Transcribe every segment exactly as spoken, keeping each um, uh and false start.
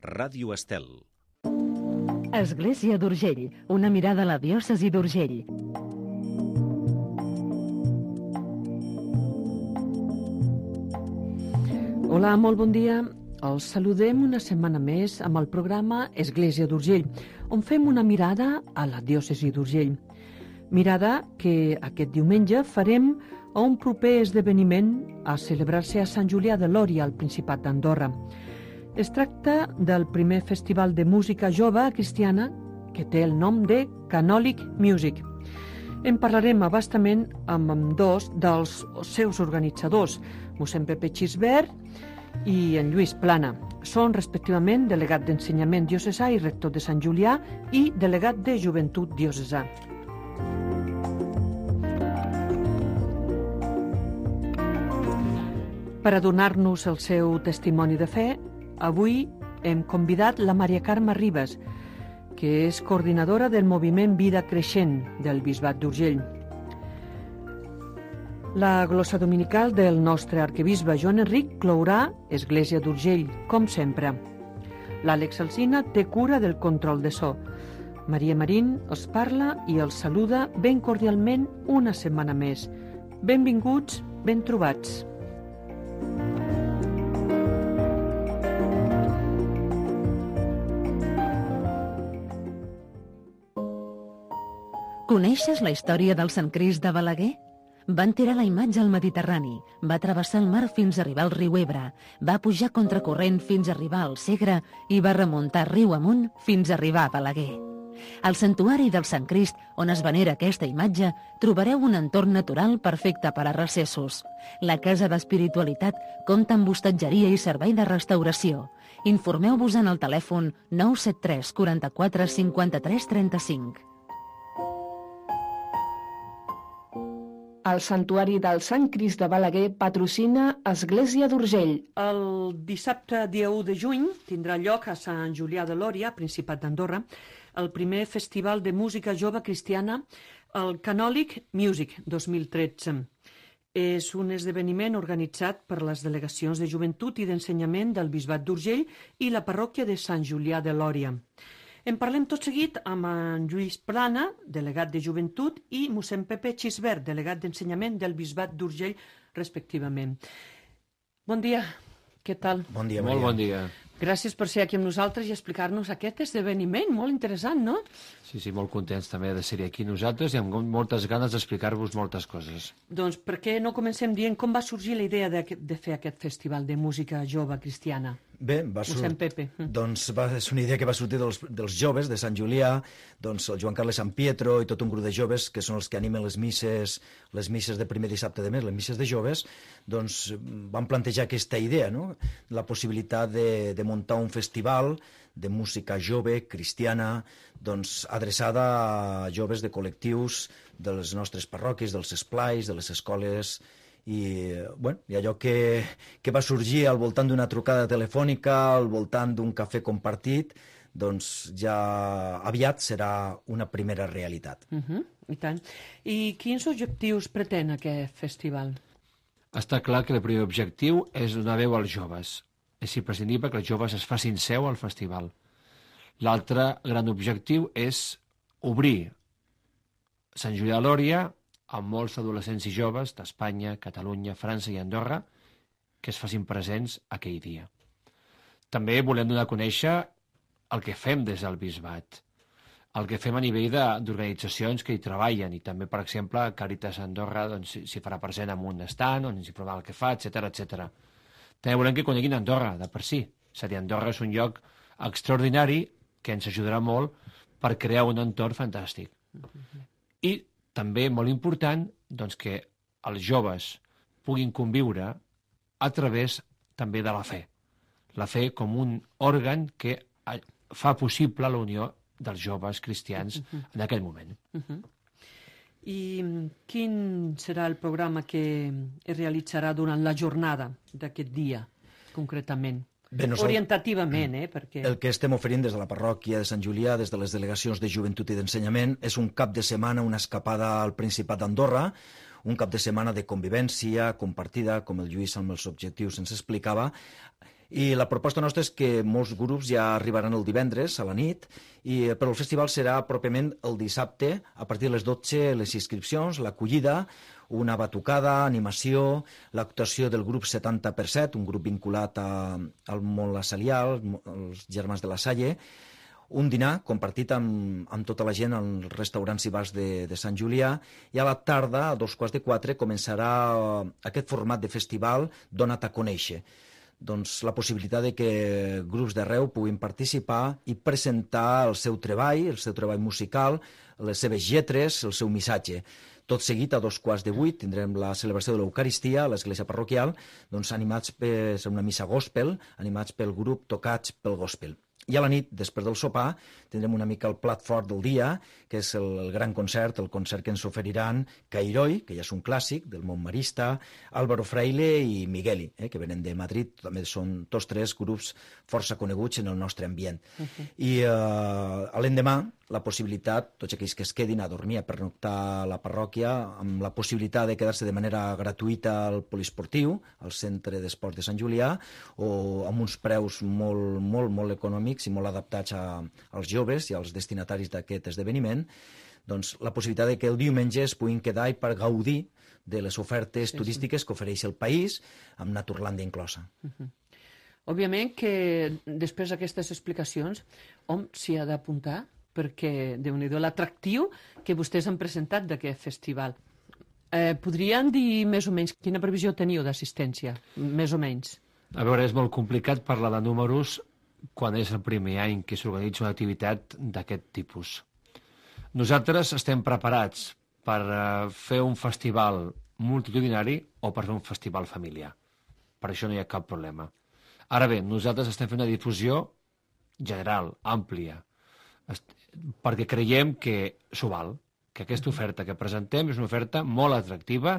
Ràdio Estel. Església d'Urgell, una mirada a la diòcesi d'Urgell. Hola, molt bon dia. Els saludem una setmana més amb el programa Església d'Urgell, on fem una mirada a la diòcesi d'Urgell. Mirada que aquest diumenge farem a un proper esdeveniment a celebrar-se a Sant Julià de Lòria, al Principat d'Andorra. Es tracta del primer festival de música jove cristiana que té el nom de Canòlic Music. En parlarem abastament amb dos dels seus organitzadors, mossèn Pepe Xisbert i en Lluís Plana. Són respectivament delegat d'Ensenyament Diocesà i rector de Sant Julià i delegat de Joventut Diocesà. Per a donar-nos el seu testimoni de fe, avui hem convidat la Maria Carme Ribas, que és coordinadora del moviment Vida Creixent del Bisbat d'Urgell. La glossa dominical del nostre arquebisbe Joan Enric clourà Església d'Urgell, com sempre. L'Àlex Alsina té cura del control de so. Maria Marín els parla i els saluda ben cordialment una setmana més. Benvinguts, ben trobats. Coneixes la història del Sant Crist de Balaguer? Van tirar la imatge al Mediterrani, va travessar el mar fins a arribar al riu Ebre, va pujar contracorrent fins a arribar al Segre i va remuntar riu amunt fins a arribar a Balaguer. Al santuari del Sant Crist, on es venera aquesta imatge, trobareu un entorn natural perfecte per a recessos. La Casa d'Espiritualitat compta amb hostatgeria i servei de restauració. Informeu-vos en el telèfon nou set tres quaranta-quatre cinquanta-tres trenta-cinc. El Santuari del Sant Crist de Balaguer patrocina Església d'Urgell. El dissabte dia u de juny tindrà lloc a Sant Julià de Lòria, Principat d'Andorra, el primer festival de música jove cristiana, el Canòlic Music dos mil tretze. És un esdeveniment organitzat per les delegacions de joventut i d'ensenyament del Bisbat d'Urgell i la parròquia de Sant Julià de Lòria. En parlem tot seguit amb en Lluís Plana, delegat de Joventut, i mossèn Pepe Xisbert, delegat d'Ensenyament del Bisbat d'Urgell, respectivament. Bon dia, què tal? Bon dia, Maria. Molt bon dia. Gràcies per ser aquí amb nosaltres i explicar-nos aquest esdeveniment, molt interessant, no? Sí, sí, molt contents també de ser aquí nosaltres i amb moltes ganes d'explicar-vos moltes coses. Doncs per què no comencem dient com va sorgir la idea de, de fer aquest festival de música jove cristiana? Bé, va Mossèn sortir... Pepe. Doncs va, és una idea que va sortir dels, dels joves de Sant Julià, doncs el Joan Carles Sant Pietro i tot un grup de joves que són els que animen les misses, les misses de primer dissabte de mes, les misses de joves, doncs van plantejar aquesta idea, no? La possibilitat de, de muntar un festival de música jove, cristiana, doncs adreçada a joves de col·lectius de les nostres parròquies, dels esplais, de les escoles. I, bueno, i allò que, que va sorgir al voltant d'una trucada telefònica, al voltant d'un cafè compartit, doncs ja aviat serà una primera realitat. Uh-huh, I tant. I quins objectius pretén aquest festival? Està clar que el primer objectiu és donar veu als joves. És imprescindible que els joves es facin seu al festival. L'altre gran objectiu és obrir Sant Julià de Lòria amb molts adolescents i joves d'Espanya, Catalunya, França i Andorra que es facin presents aquell dia. També volem donar a conèixer el que fem des del Bisbat, el que fem a nivell d'organitzacions que hi treballen, i també, per exemple, Càritas Andorra doncs, s'hi farà present amb un stand on ens hi provarà el que fa, etcètera, etcètera. També volem que coneguin Andorra, de per si. És a dir, Andorra és un lloc extraordinari que ens ajudarà molt per crear un entorn fantàstic. I també molt important doncs, que els joves puguin conviure a través també de la fe. La fe com un òrgan que fa possible la unió dels joves cristians en aquell moment. Uh-huh. I quin serà el programa que es realitzarà durant la jornada d'aquest dia, concretament? Bé, nosaltres, orientativament, eh? Perquè... El que estem oferint des de la parròquia de Sant Julià, des de les delegacions de joventut i d'ensenyament, és un cap de setmana, una escapada al Principat d'Andorra, un cap de setmana de convivència compartida, com el Lluís amb els objectius ens explicava, I la proposta nostra és que molts grups ja arribaran el divendres a la nit, i, però el festival serà pròpiament el dissabte, a partir de les dotze, les inscripcions, l'acollida, una batucada, animació, l'actuació del grup setanta per set, un grup vinculat a, al món lasallià, els Germans de la Salle, un dinar compartit amb, amb tota la gent als restaurants i bars de, de Sant Julià, i a la tarda, a dos quarts de quatre, començarà aquest format de festival Dona't a conèixer. Doncs la possibilitat de que grups d'arreu puguin participar i presentar el seu treball, el seu treball musical, les seves lletres, el seu missatge. Tot seguit, a dos quarts de vuit, tindrem la celebració de l'Eucaristia a l'església parroquial, doncs animats per una missa gospel, animats pel grup Tocats pel Gospel. I a la nit, després del sopar, tindrem una mica el plat fort del dia, que és el, el gran concert, el concert que ens oferiran Cairoi, que ja és un clàssic del món marista, Álvaro Fraile i Migueli, eh, que venen de Madrid, també són tots tres grups força coneguts en el nostre ambient. Uh-huh. I eh, a l'endemà, la possibilitat, tots aquells que es quedin a dormir, a pernoctar a la parròquia, amb la possibilitat de quedar-se de manera gratuïta al poliesportiu, al centre d'esports de Sant Julià, o amb uns preus molt, molt, molt econòmics i molt adaptats a, als joves i als destinataris d'aquest esdeveniment, doncs la possibilitat de que el diumenge es puguin quedar i per gaudir de les ofertes sí, turístiques sí. que ofereix el país, amb Naturlàndia inclosa. Uh-huh. Òbviament que després d'aquestes explicacions, hom s'hi ha d'apuntar, perquè, déu-n'hi-do, l'atractiu que vostès han presentat d'aquest festival. Eh, podrien dir més o menys quina previsió teniu d'assistència? Més o menys. A veure, és molt complicat parlar de números quan és el primer any que s'organitza una activitat d'aquest tipus. Nosaltres estem preparats per fer un festival multitudinari o per fer un festival familiar. Per això no hi ha cap problema. Ara bé, nosaltres estem fent una difusió general, àmplia, perquè creiem que s'ho val, que aquesta oferta que presentem és una oferta molt atractiva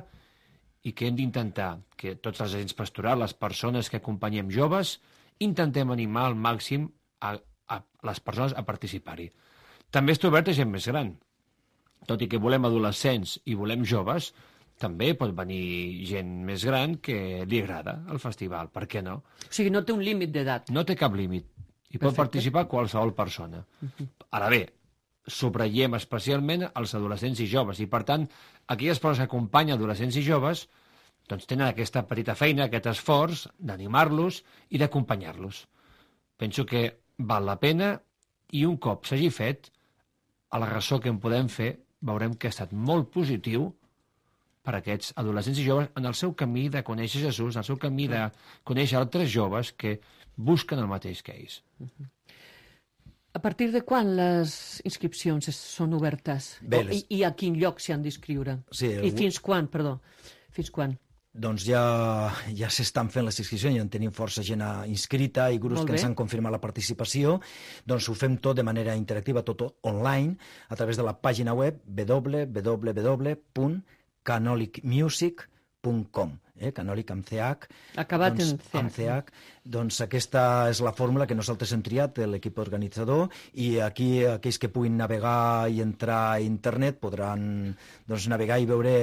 i que hem d'intentar que tots els agents pastorals, les persones que acompanyem joves, intentem animar al màxim a, a les persones a participar-hi. També està obert a gent més gran. Tot i que volem adolescents i volem joves, també pot venir gent més gran que li agrada el festival, per què no? O sigui, no té un límit d'edat. No té cap límit. Hi pot Perfecte. participar qualsevol persona. Uh-huh. Ara bé, subratllem especialment els adolescents i joves, i per tant, aquelles persones que acompanyen adolescents i joves doncs tenen aquesta petita feina, aquest esforç d'animar-los i d'acompanyar-los. Penso que val la pena, i un cop s'hagi fet, a la ressò que en podem fer, veurem que ha estat molt positiu per a aquests adolescents i joves en el seu camí de conèixer Jesús, en el seu camí de conèixer altres joves que busquen el mateix que ells. A partir de quan les inscripcions són obertes? Bé, les... I, I a quin lloc s'hi han d'inscriure? Sí, el... I fins quan, perdó? Fins quan? Doncs ja, ja s'estan fent les inscripcions, ja en tenim força gent inscrita i grups que ens han confirmat la participació. Doncs ho fem tot de manera interactiva, tot online, a través de la pàgina web w w w punt canolic music punt com, eh? Canolic amb C H. Acabat doncs, en C H. Amb C H. Doncs aquesta és la fórmula que nosaltres hem triat, l'equip organitzador, i aquí aquells que puguin navegar i entrar a internet podran doncs, navegar i veure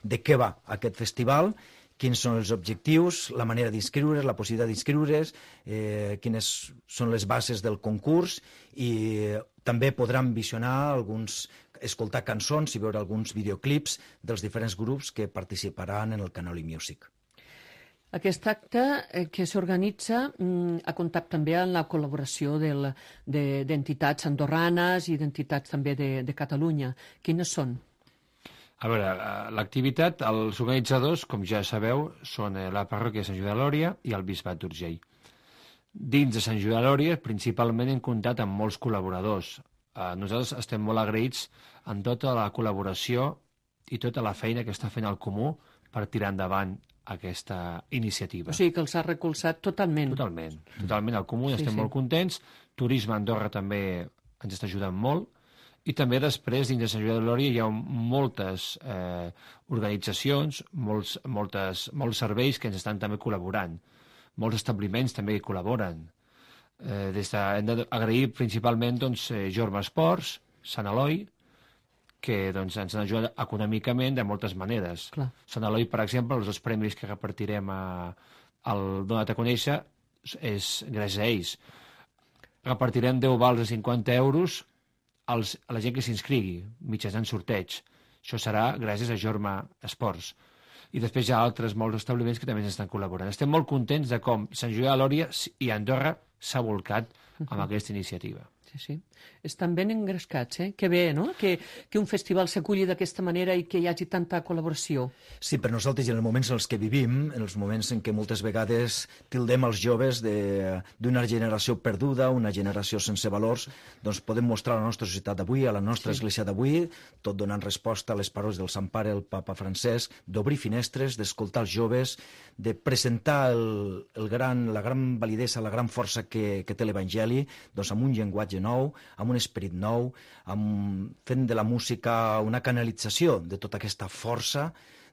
de què va aquest festival, quins són els objectius, la manera d'inscriure's, la possibilitat d'inscriure's, eh, quines són les bases del concurs, i també podran visionar alguns, escoltar cançons i veure alguns videoclips dels diferents grups que participaran en el Canoli Music. Aquest acte eh, que s'organitza mm, ha comptat també amb la col·laboració d'entitats de, andorranes i d'entitats també de, de Catalunya. Quines són? A veure, l'activitat, els organitzadors, com ja sabeu, són la parròquia de Sant Joan de Lòria i el Bisbat d'Urgell. Dins de Sant Joan de Lòria, principalment hem comptat amb molts col·laboradors. Nosaltres estem molt agraïts en tota la col·laboració i tota la feina que està fent el Comú per tirar endavant aquesta iniciativa. O sigui que els ha recolzat totalment. Totalment. Totalment. El Comú sí, estem sí. molt contents. Turisme a Andorra també ens està ajudant molt. I també després, dins de Sant Joan de Lòria, hi ha moltes eh, organitzacions, molts, moltes, molts serveis que ens estan també col·laborant. Molts establiments també hi col·laboren. Eh, des de, hem d'agrair principalment doncs, eh, Jorba Esports, Sant Eloi, que doncs, ens han ajudat econòmicament de moltes maneres. Clar. Sant Eloi, per exemple, els dos premis que repartirem a, al Dona't a conèixer és gràcies a ells. Repartirem deu vals de cinquanta euros als, a la gent que s'inscrigui, mitjançant sorteig. Això serà gràcies a Jorma Esports. I després hi ha altres molts establiments que també estan col·laborant. Estem molt contents de com Sant Julià de Lòria i Andorra s'ha volcat amb aquesta iniciativa. Sí, sí. Estan ben engrescats, eh? Que bé, no? Que, que un festival s'aculli d'aquesta manera i que hi hagi tanta col·laboració. Sí, per nosaltres, i en els moments en els que vivim, en els moments en què moltes vegades tildem els joves d'una generació perduda, una generació sense valors, doncs podem mostrar a la nostra societat d'avui, a la nostra sí. església d'avui, tot donant resposta a les paraules del Sant Pare, el papa Francesc, d'obrir finestres, d'escoltar els joves, de presentar el, el gran, la gran validesa, la gran força que, que té l'Evangeli, doncs amb un llenguatge nou, amb un esperit nou, amb, fent de la música una canalització de tota aquesta força,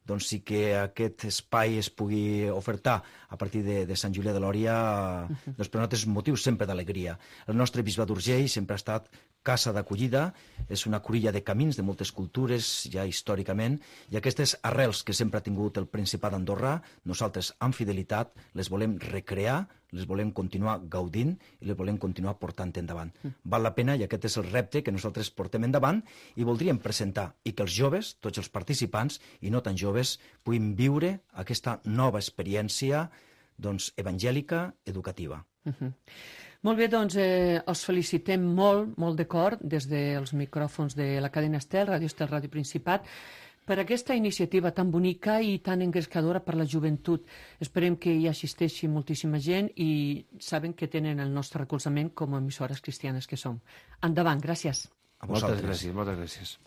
doncs sí que aquest espai es pugui ofertar a partir de, de Sant Julià de Lòria, uh-huh. doncs per nosaltres és motiu sempre d'alegria. El nostre bisbat d'Urgell sempre ha estat casa d'acollida, és una cruïlla de camins de moltes cultures, ja històricament, i aquestes arrels que sempre ha tingut el Principat d'Andorra, nosaltres, amb fidelitat, les volem recrear, les volem continuar gaudint i les volem continuar portant endavant. Mm. Val la pena, i aquest és el repte que nosaltres portem endavant, i voldríem presentar i que els joves, tots els participants, i no tan joves, puguin viure aquesta nova experiència doncs, evangèlica, educativa. Mm-hmm. Molt bé, doncs eh, els felicitem molt, molt de cor, des dels micròfons de la cadena Estel, Ràdio Estel, Ràdio Principat, per aquesta iniciativa tan bonica i tan engrescadora per la joventut. Esperem que hi assisteixi moltíssima gent i saben que tenen el nostre recolzament com a emissores cristianes que som. Endavant, gràcies. A moltes gràcies, moltes gràcies.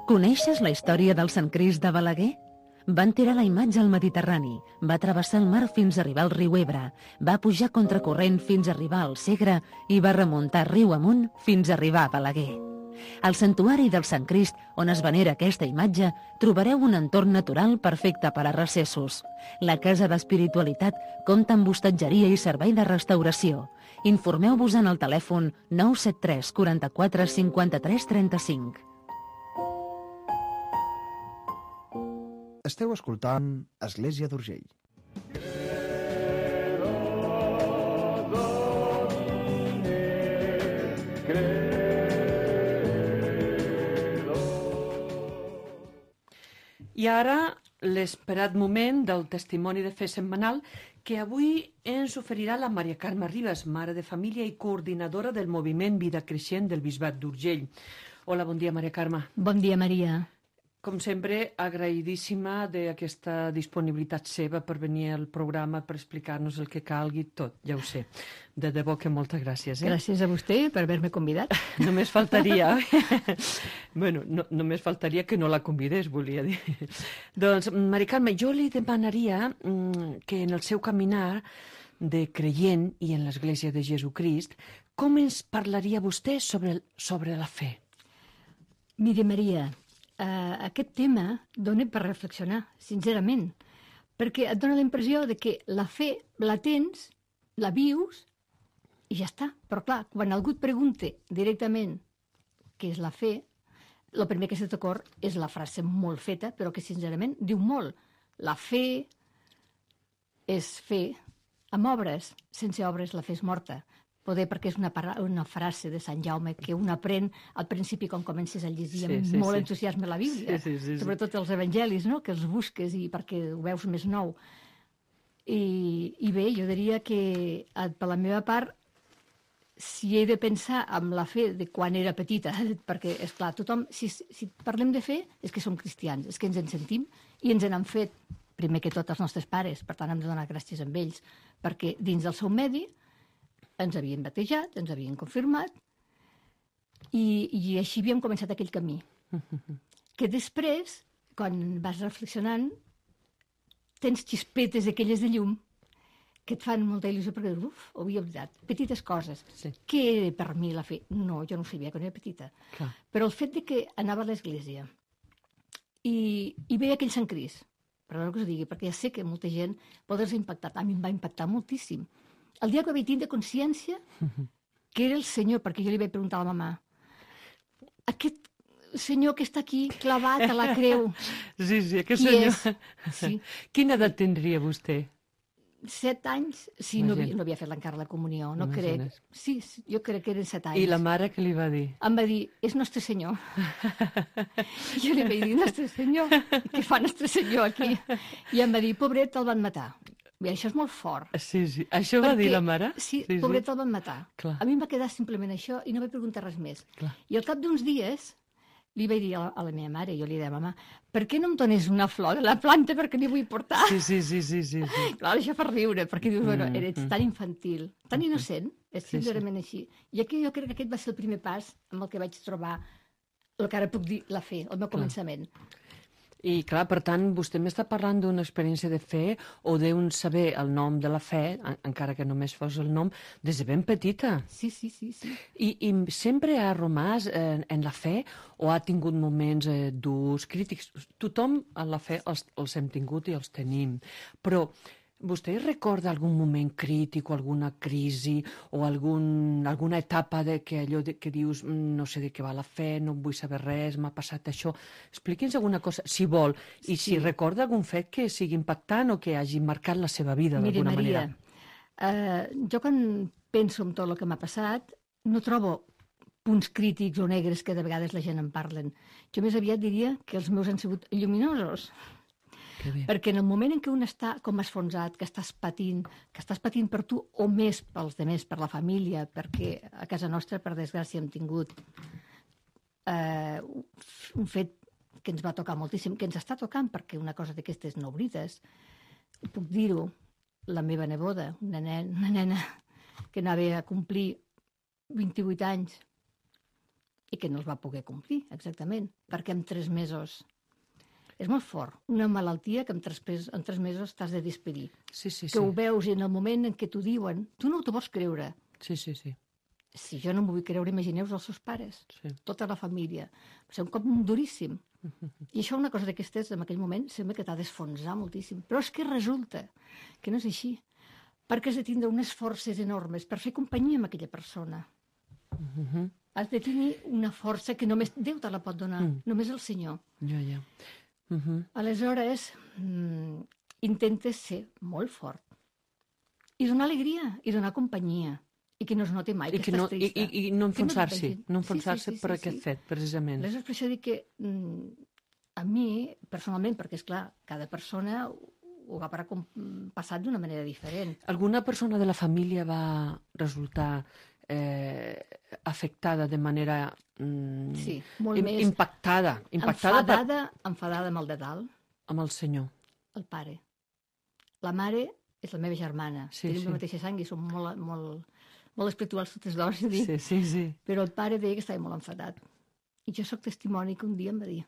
Coneixes la història del Sant Crist de Balaguer? Van tirar la imatge al Mediterrani, va travessar el mar fins a arribar al riu Ebre, va pujar contracorrent fins a arribar al Segre i va remuntar riu amunt fins a arribar a Balaguer. Al santuari del Sant Crist, on es venera aquesta imatge, trobareu un entorn natural perfecte per a recessos. La Casa d'Espiritualitat compta amb hostatgeria i servei de restauració. Informeu-vos en el telèfon nou set tres quaranta-quatre cinquanta-tres trenta-cinc. Esteu escoltant Església d'Urgell. I ara l'esperat moment del testimoni de fe setmanal que avui ens oferirà la Maria Carme Ribas, mare de família i coordinadora del moviment Vida Creixent del Bisbat d'Urgell. Hola, bon dia, Maria Carme. Bon dia, Maria. Com sempre, agraïdíssima d'aquesta disponibilitat seva per venir al programa, per explicar-nos el que calgui, tot, ja ho sé. De debò que moltes gràcies. Eh? Gràcies a vostè per haver-me convidat. Només faltaria... bueno, no, només faltaria que no la convidés, volia dir. Doncs, Maria Carme, jo li demanaria mm, que en el seu caminar de creient i en l'Església de Jesucrist, com ens parlaria vostè sobre, sobre la fe? Mire, Maria, Uh, aquest tema dona per reflexionar, sincerament, perquè et dona la impressió de que la fe la tens, la vius i ja està. Però clar, quan algú et pregunta directament què és la fe, el primer que se t'ocorre és la frase molt feta, però que sincerament diu molt. La fe és fer amb obres, sense obres la fe és morta. Poder perquè és una, una frase de Sant Jaume que un aprèn al principi quan comences a llegir sí, amb sí, molt sí. entusiasme la Bíblia, sí, sí, sí, sobretot els evangelis, no? Que els busques i perquè ho veus més nou. I, i bé, jo diria que per la meva part, si he de pensar en la fe de quan era petita, perquè, és clar, tothom, si, si parlem de fe, és que som cristians, és que ens en sentim i ens en han fet, primer que tot, els nostres pares, per tant hem de donar gràcies a ells, perquè dins del seu medi ens havien batejat, ens havien confirmat i, i així havíem començat aquell camí. Que després, quan vas reflexionant, tens xispetes aquelles de llum que et fan molta il·lusió perquè, uf, ho havia oblidat. Petites coses. Sí. Què era per mi la fe? No, jo no ho sabia, quan era petita. Clar. Però el fet de que anava a l'església i, i veia aquell Sant Crist, perdó que us digui, perquè ja sé que molta gent pot haver impactat. A mi em va impactar moltíssim. El dia que vaig tindre consciència que era el Senyor, perquè jo li vaig preguntar a la mamà, aquest senyor que està aquí clavat a la creu. Sí, sí, aquest Qui senyor... és? Sí. Quina edat tindria vostè? Set anys? Sí, no havia, Imagina. no havia fet encara la comunió, no Imagina't. crec. Sí, sí, jo crec que eren set anys. I la mare què li va dir? Em va dir, és Nostre Senyor. Jo li vaig dir, Nostre Senyor, què fa Nostre Senyor aquí? I em va dir, pobret, el van matar. Bé, això és molt fort. Sí, sí. Això va dir la mare? Sí, sí, pobret, el van matar. Clar. A mi em va quedar simplement això i no vaig preguntar res més. Clar. I al cap d'uns dies li vaig dir a la, a la meva mare, jo li deia, mama, per què no em dones una flor de la planta perquè n'hi vull portar? Sí, sí, sí, sí, sí, sí. Clar, això fa riure, perquè dius, bueno, Mm, eres mm. tan infantil, tan innocent, és Sí, sí. sincerament així. I aquí jo crec que aquest va ser el primer pas amb el que vaig trobar el que ara puc dir la fe, el meu començament. I clar, per tant, vostè m'està parlant d'una experiència de fe o d'un saber el nom de la fe, en- encara que només fos el nom, des de ben petita. Sí, sí, sí, sí. I, i sempre ha romàs en, en la fe o ha tingut moments eh, durs, crítics? Tothom en la fe els, els hem tingut i els tenim, però vostè recorda algun moment crític o alguna crisi o algun, alguna etapa de que allò de, que dius "Mm, no sé de què va la fe, no vull saber res, m'ha passat això"? Expliqui'ns alguna cosa, si vol, i si Sí. recorda algun fet que sigui impactant o que hagi marcat la seva vida Miri, d'alguna Maria, manera. eh, jo quan penso en tot el que m'ha passat, no trobo punts crítics o negres que de vegades la gent en parlen. Jo més aviat diria que els meus han sigut lluminosos. Que bé. Perquè en el moment en què un està com esfonsat, que estàs patint, que estàs patint per tu o més pels demés, per la família, perquè a casa nostra, per desgràcia, hem tingut eh, un fet que ens va tocar moltíssim, que ens està tocant, perquè una cosa d'aquestes no oblides, puc dir-ho, la meva neboda, una nena, una nena que anava a complir vint-i-vuit anys i que no els va poder complir, exactament, perquè en tres mesos... És molt fort, una malaltia que en tres, pes- en tres mesos t'has de despedir. Sí, sí, Que sí. ho veus i en el moment en què t'ho diuen, tu no t'ho vols creure. Sí, sí, sí. Si jo no m'ho vull creure, imagineu-vos els seus pares, sí. tota la família. Va ser un cop duríssim. I això, una cosa d'aquestes, en aquell moment, sembla que t'ha d'esfonsar moltíssim. Però és que resulta que no és així. Perquè has de tindre unes forces enormes per fer companyia amb aquella persona. Mhm. Has de tenir una força que només Déu te la pot donar, Mm. només el Senyor. Ja, ja. Mhm. Aleshores, mm, intentes ser molt fort i donar alegria, i donar companyia, i que no es noti mai I, que, que estàs no, i, trista. i, I no enfonsar-s'hi, Que no et vegin. no enfonsar-se Sí, sí, sí, per sí, aquest sí. fet, precisament. Aleshores, per això dic que mm, a mi, personalment, perquè, és clar, cada persona ho ho haurà com- passat d'una manera diferent. Alguna persona de la família va resultar eh, afectada de manera mm, Sí, molt im- més impactada, impactada per, enfadada, enfadada amb el de dalt, amb el senyor. el pare. La mare és la meva germana. Sí, Tenim sí. la mateixa sang i som molt, molt, molt espirituals totes dues, és a dir, Sí, sí, sí. però el pare deia que estava molt enfadat. I jo sóc testimoni que un dia em va dir,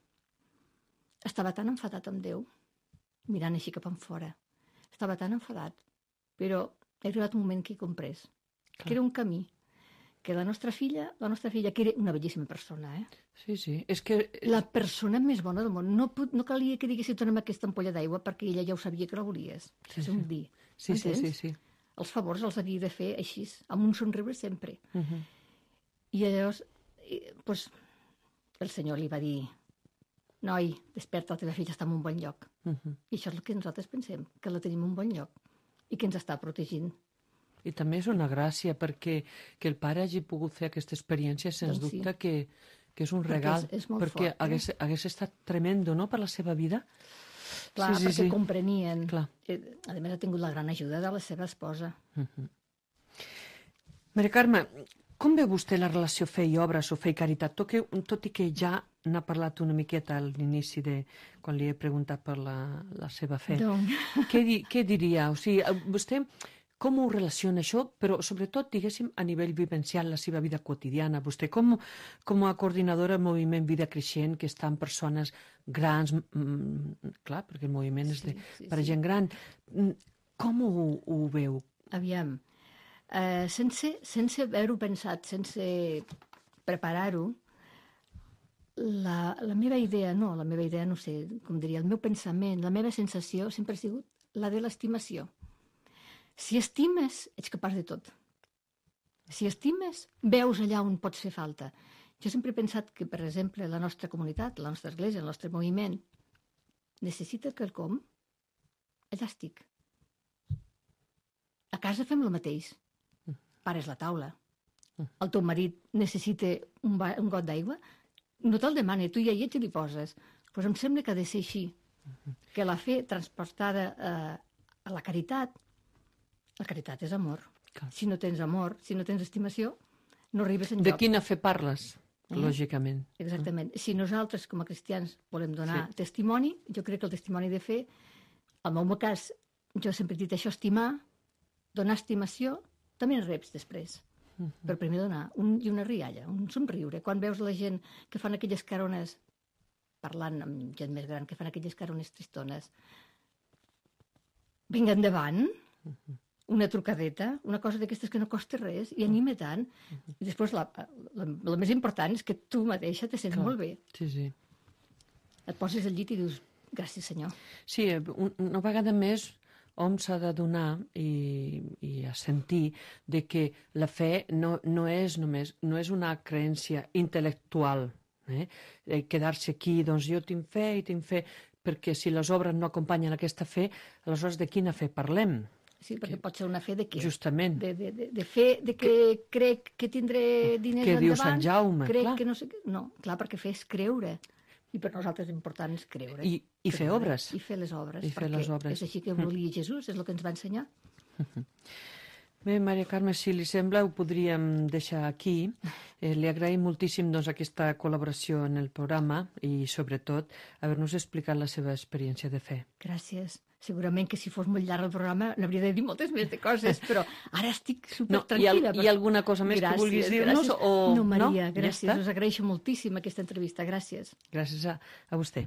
estava tan enfadat amb Déu, mirant així cap en fora, estava tan enfadat, però he arribat un moment que he comprès Clar. que era un camí, que la nostra filla, la nostra filla, que era una bellíssima persona, eh? Sí, sí. És que... la persona més bona del món, no, pot, no calia que diguessis dona'm aquesta ampolla d'aigua perquè ella ja ho sabia que la volies. Sí, és sí. un dir. Sí, sí, entens? sí, sí. Els favors els havia de fer així, amb un somriure sempre. Mhm. I llavors, eh, pues, el senyor li va dir, noi, desperta, la teva filla està en un bon lloc. Mhm. I això és el que nosaltres pensem, que la tenim en un bon lloc i que ens està protegint. I també és una gràcia perquè que el pare hagi pogut fer aquesta experiència, sens Doncs sí. dubte que, que és un Perquè regal. és- és molt perquè fort, eh? hagués, hagués estat tremendo, no?, per la seva vida. Clar, sí, sí, perquè sí. comprenien. Clar. Eh, A més, ha tingut la gran ajuda de la seva esposa. Mhm. Maria Carme, com veu vostè la relació fe i obres o fe i caritat? Tot, que, tot i que ja n'ha parlat una miqueta a l'inici de quan li he preguntat per la, la seva fe. Doncs, Què, di, què diria? O sigui, eh, vostè com ho relaciona això, però sobretot, diguéssim, a nivell vivencial, la seva vida quotidiana? Vostè com, com a coordinadora del moviment Vida Creixent, que està en persones grans, mm, clar, perquè el moviment és de, Sí, sí, per a sí. gent gran, mm, com ho, ho veu? aviam, eh, sense, sense haver-ho pensat, sense preparar-ho, la, la meva idea, no, la meva idea, no sé, com diria, el meu pensament, la meva sensació sempre ha sigut la de l'estimació. Si estimes, ets capaç de tot. Si estimes, veus allà on pots fer falta. Jo sempre he pensat que, per exemple, la nostra comunitat, la nostra església, el nostre moviment, necessita quelcom, allà estic. A casa fem el mateix. Pares la taula. El teu marit necessita un, ba un got d'aigua, no te'l demana, tu ja hi ets i li poses. Pues em sembla que ha de ser així. Que la fe transportada a, a la caritat, la caritat és amor. Clar. Si no tens amor, si no tens estimació, no arribes enlloc. De quina fe parles, Eh? lògicament. Exactament. Si nosaltres, com a cristians, volem donar Sí. testimoni, jo crec que el testimoni de fe, al meu cas, jo sempre he dit això, estimar, donar estimació, també en reps després. Uh-huh. Però primer donar un, i una rialla, un somriure. Quan veus la gent que fan aquelles carones, parlant amb gent més gran, que fan aquelles carones tristones, vinga endavant, Uh-huh. una trucadeta, una cosa d'aquestes que no costa res, i anima tant. I després, la, la, la més important és que tu mateixa te sents Clar. molt bé. Sí, sí. Et poses al llit i dius, gràcies, senyor. Sí, un, una vegada més hom s'ha de donar i, i a sentir de que la fe no, no és només, no és una creença intel·lectual, eh? Eh, quedar-se aquí, doncs jo tinc fe i tinc fe, perquè si les obres no acompanyen aquesta fe, aleshores de quina fe parlem? Sí, perquè pot ser una fe de què? Justament. De, de, de, de fe de que, que crec que tindré diners Què endavant. diu Sant Jaume, crec clar. que no sé què. No, clar, perquè fer és creure. I per nosaltres l'important és creure. I, i fer Creure. obres. I fer les obres. I fer perquè les obres. és així que volia Jesús, és el que ens va ensenyar. Bé, Maria Carme, si li sembla, ho podríem deixar aquí. Eh, li agraïm moltíssim doncs, aquesta col·laboració en el programa i, sobretot, haver-nos explicat la seva experiència de fe. Gràcies. Segurament que si fos molt llarg el programa n'hauria de dir moltes més de coses, però ara estic No, supertranquil·la. hi ha, hi ha alguna cosa més gràcies, que vulguis dir-nos? gràcies. O... No, Maria, Ja gràcies. està? Us agraeixo moltíssim aquesta entrevista. Gràcies. Gràcies a, a vostè.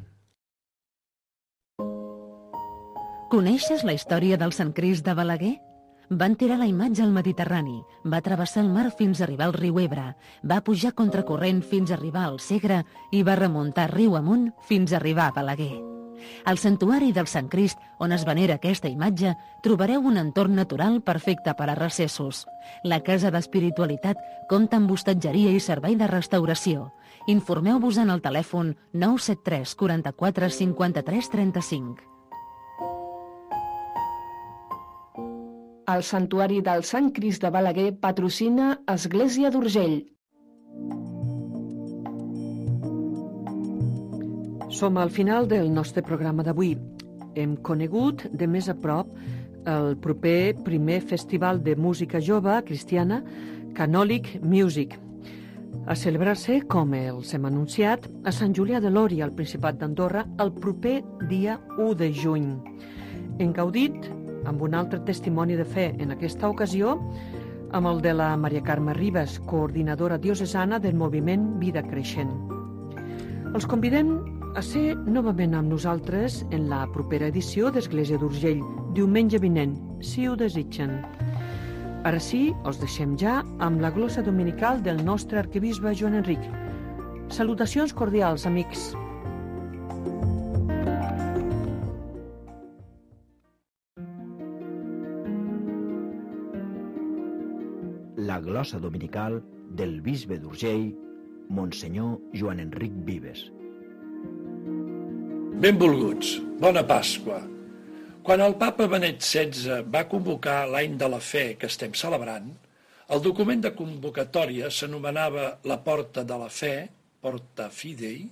Coneixes la història del Sant Crist de Balaguer? Van tirar la imatge al Mediterrani, va travessar el mar fins a arribar al riu Ebre, va pujar contracorrent fins a arribar al Segre i va remuntar riu amunt fins a arribar a Balaguer. Al santuari del Sant Crist, on es venera aquesta imatge, trobareu un entorn natural perfecte per a recessos. La Casa d'Espiritualitat compta amb hostatgeria i servei de restauració. Informeu-vos en el telèfon nou set tres quaranta-quatre cinquanta-tres trenta-cinc. El Santuari del Sant Crist de Balaguer patrocina Església d'Urgell. Som al final del nostre programa d'avui. Hem conegut de més a prop el proper primer festival de música jove cristiana, Canòlic Music, a celebrar-se, com els hem anunciat, a Sant Julià de Lòria, al Principat d'Andorra, el proper dia u de juny. Hem gaudit amb un altre testimoni de fe en aquesta ocasió, amb el de la Maria Carme Ribas, coordinadora diocesana del moviment Vida Creixent. Els convidem a ser novament amb nosaltres en la propera edició d'Església d'Urgell, diumenge vinent, si ho desitgen. Ara sí, els deixem ja amb la glossa dominical del nostre arquebisbe Joan Enric. Salutacions cordials, amics. La glossa dominical del bisbe d'Urgell, Monsenyor Joan Enric Vives. Benvolguts, bona Pasqua. Quan el papa Benet setze va convocar l'any de la fe que estem celebrant, el document de convocatòria s'anomenava la Porta de la Fe, Porta Fidei,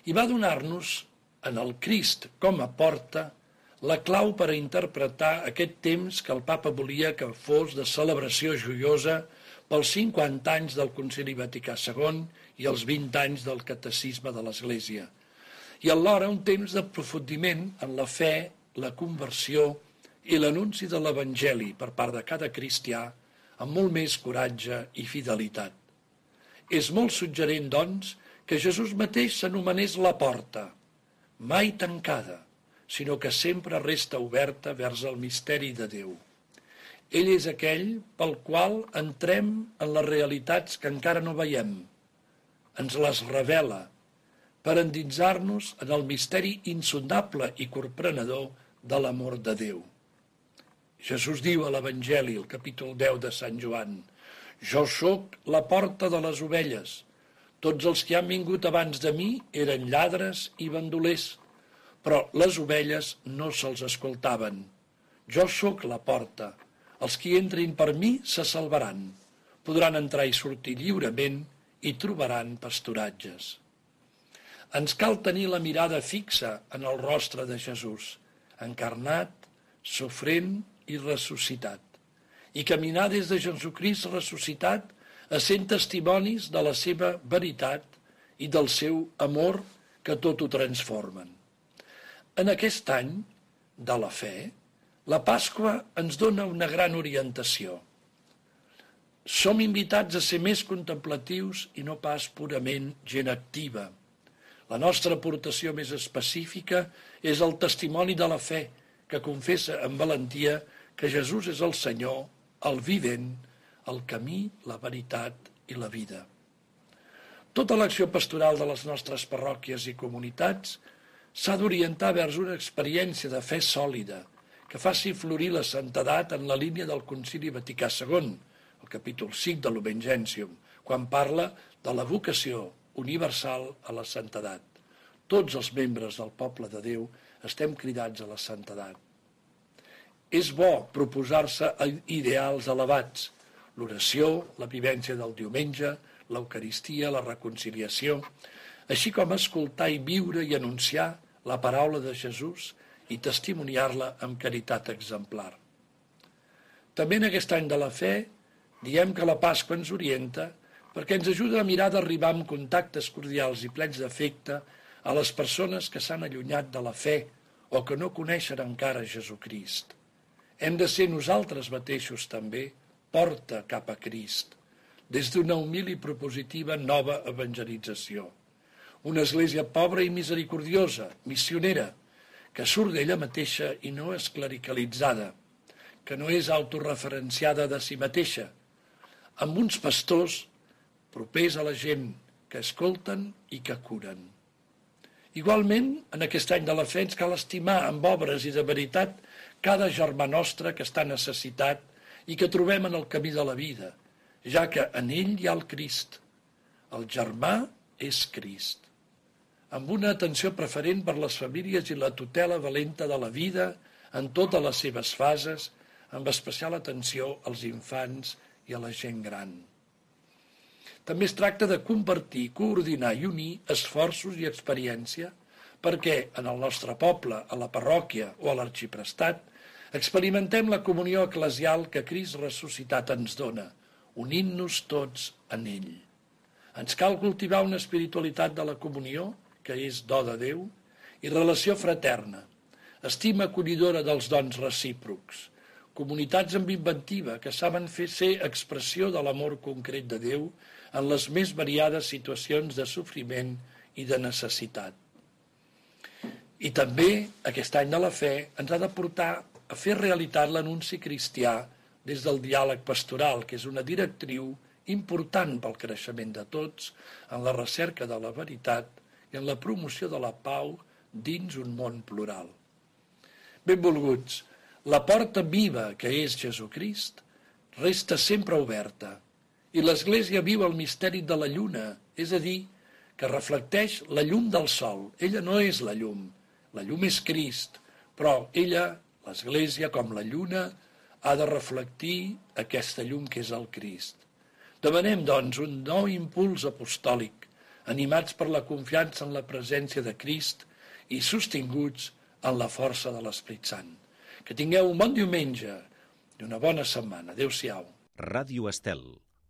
i va donar-nos, en el Crist com a porta, la clau per a interpretar aquest temps que el papa volia que fos de celebració joiosa pels cinquanta anys del Concili Vaticà segon i els vint anys del Catecisme de l'Església, i alhora un temps d'aprofundiment en la fe, la conversió i l'anunci de l'Evangeli per part de cada cristià amb molt més coratge i fidelitat. És molt suggerent, doncs, que Jesús mateix s'anomenés la porta, mai tancada, sinó que sempre resta oberta vers el misteri de Déu. Ell és aquell pel qual entrem en les realitats que encara no veiem. Ens les revela per endinsar-nos en el misteri insondable i corprenedor de l'amor de Déu. Jesús diu a l'Evangeli, el capítol deu de Sant Joan, «Jo sóc la porta de les ovelles. Tots els que han vingut abans de mi eren lladres i bandolers, però les ovelles no se'ls escoltaven. Jo sóc la porta. Els qui entrin per mi se salvaran. Podran entrar i sortir lliurement i trobaran pasturatges. Ens cal tenir la mirada fixa en el rostre de Jesús, encarnat, sofrent i ressuscitat, i caminar des de Jesucrist ressuscitat essent testimonis de la seva veritat i del seu amor que tot ho transformen. En aquest any de la fe, la Pasqua ens dona una gran orientació. Som invitats a ser més contemplatius i no pas purament gent activa. La nostra aportació més específica és el testimoni de la fe, que confessa amb valentia que Jesús és el Senyor, el vivent, el camí, la veritat i la vida. Tota l'acció pastoral de les nostres parròquies i comunitats s'ha d'orientar vers una experiència de fe sòlida que faci florir la santedat en la línia del Concili Vaticà segon, el capítol cinc de l'Lumen Gentium, quan parla de la vocació universal a la santedat. Tots els membres del poble de Déu estem cridats a la santedat. És bo proposar-se ideals elevats, l'oració, la vivència del diumenge, l'Eucaristia, la reconciliació, així com escoltar i viure i anunciar la paraula de Jesús i testimoniar-la amb caritat exemplar. També en aquest any de la fe diem que la Pasqua ens orienta perquè ens ajuda a mirar d'arribar amb contactes cordials i plens d'afecte a les persones que s'han allunyat de la fe o que no coneixen encara Jesucrist. Hem de ser nosaltres mateixos també porta cap a Crist, des d'una humil i propositiva nova evangelització. Una església pobra i misericordiosa, missionera, que surt d'ella mateixa i no és clericalitzada, que no és autorreferenciada de si mateixa, amb uns pastors propers a la gent que escolten i que curen. Igualment, en aquest any de la fe ens cal estimar amb obres i de veritat cada germà nostre que està necessitat i que trobem en el camí de la vida, ja que en ell hi ha el Crist. El germà és Crist. Amb una atenció preferent per les famílies i la tutela valenta de la vida en totes les seves fases, amb especial atenció als infants i a la gent gran. També es tracta de compartir, coordinar i unir esforços i experiència perquè en el nostre poble, a la parròquia o a l'arxiprestat, experimentem la comunió eclesial que Crist ressuscitat ens dona, unint-nos tots en ell. Ens cal cultivar una espiritualitat de la comunió, que és do de Déu, i relació fraterna, estima acollidora dels dons recíprocs, comunitats amb inventiva que saben fer ser expressió de l'amor concret de Déu en les més variades situacions de sofriment i de necessitat. I també, aquest any de la fe, ens ha de portar a fer realitat l'anunci cristià des del diàleg pastoral, que és una directriu important pel creixement de tots en la recerca de la veritat i en la promoció de la pau dins un món plural. Benvolguts, la porta viva que és Jesucrist resta sempre oberta i l'Església viu el misteri de la lluna, és a dir, que reflecteix la llum del sol. Ella no és la llum, la llum és Crist, però ella, l'Església, com la lluna, ha de reflectir aquesta llum que és el Crist. Demanem, doncs, un nou impuls apostòlic, animats per la confiança en la presència de Crist i sostinguts en la força de l'Esperit Sant. Que tingueu un bon diumenge i una bona setmana. Adéu-siau. Ràdio Estel.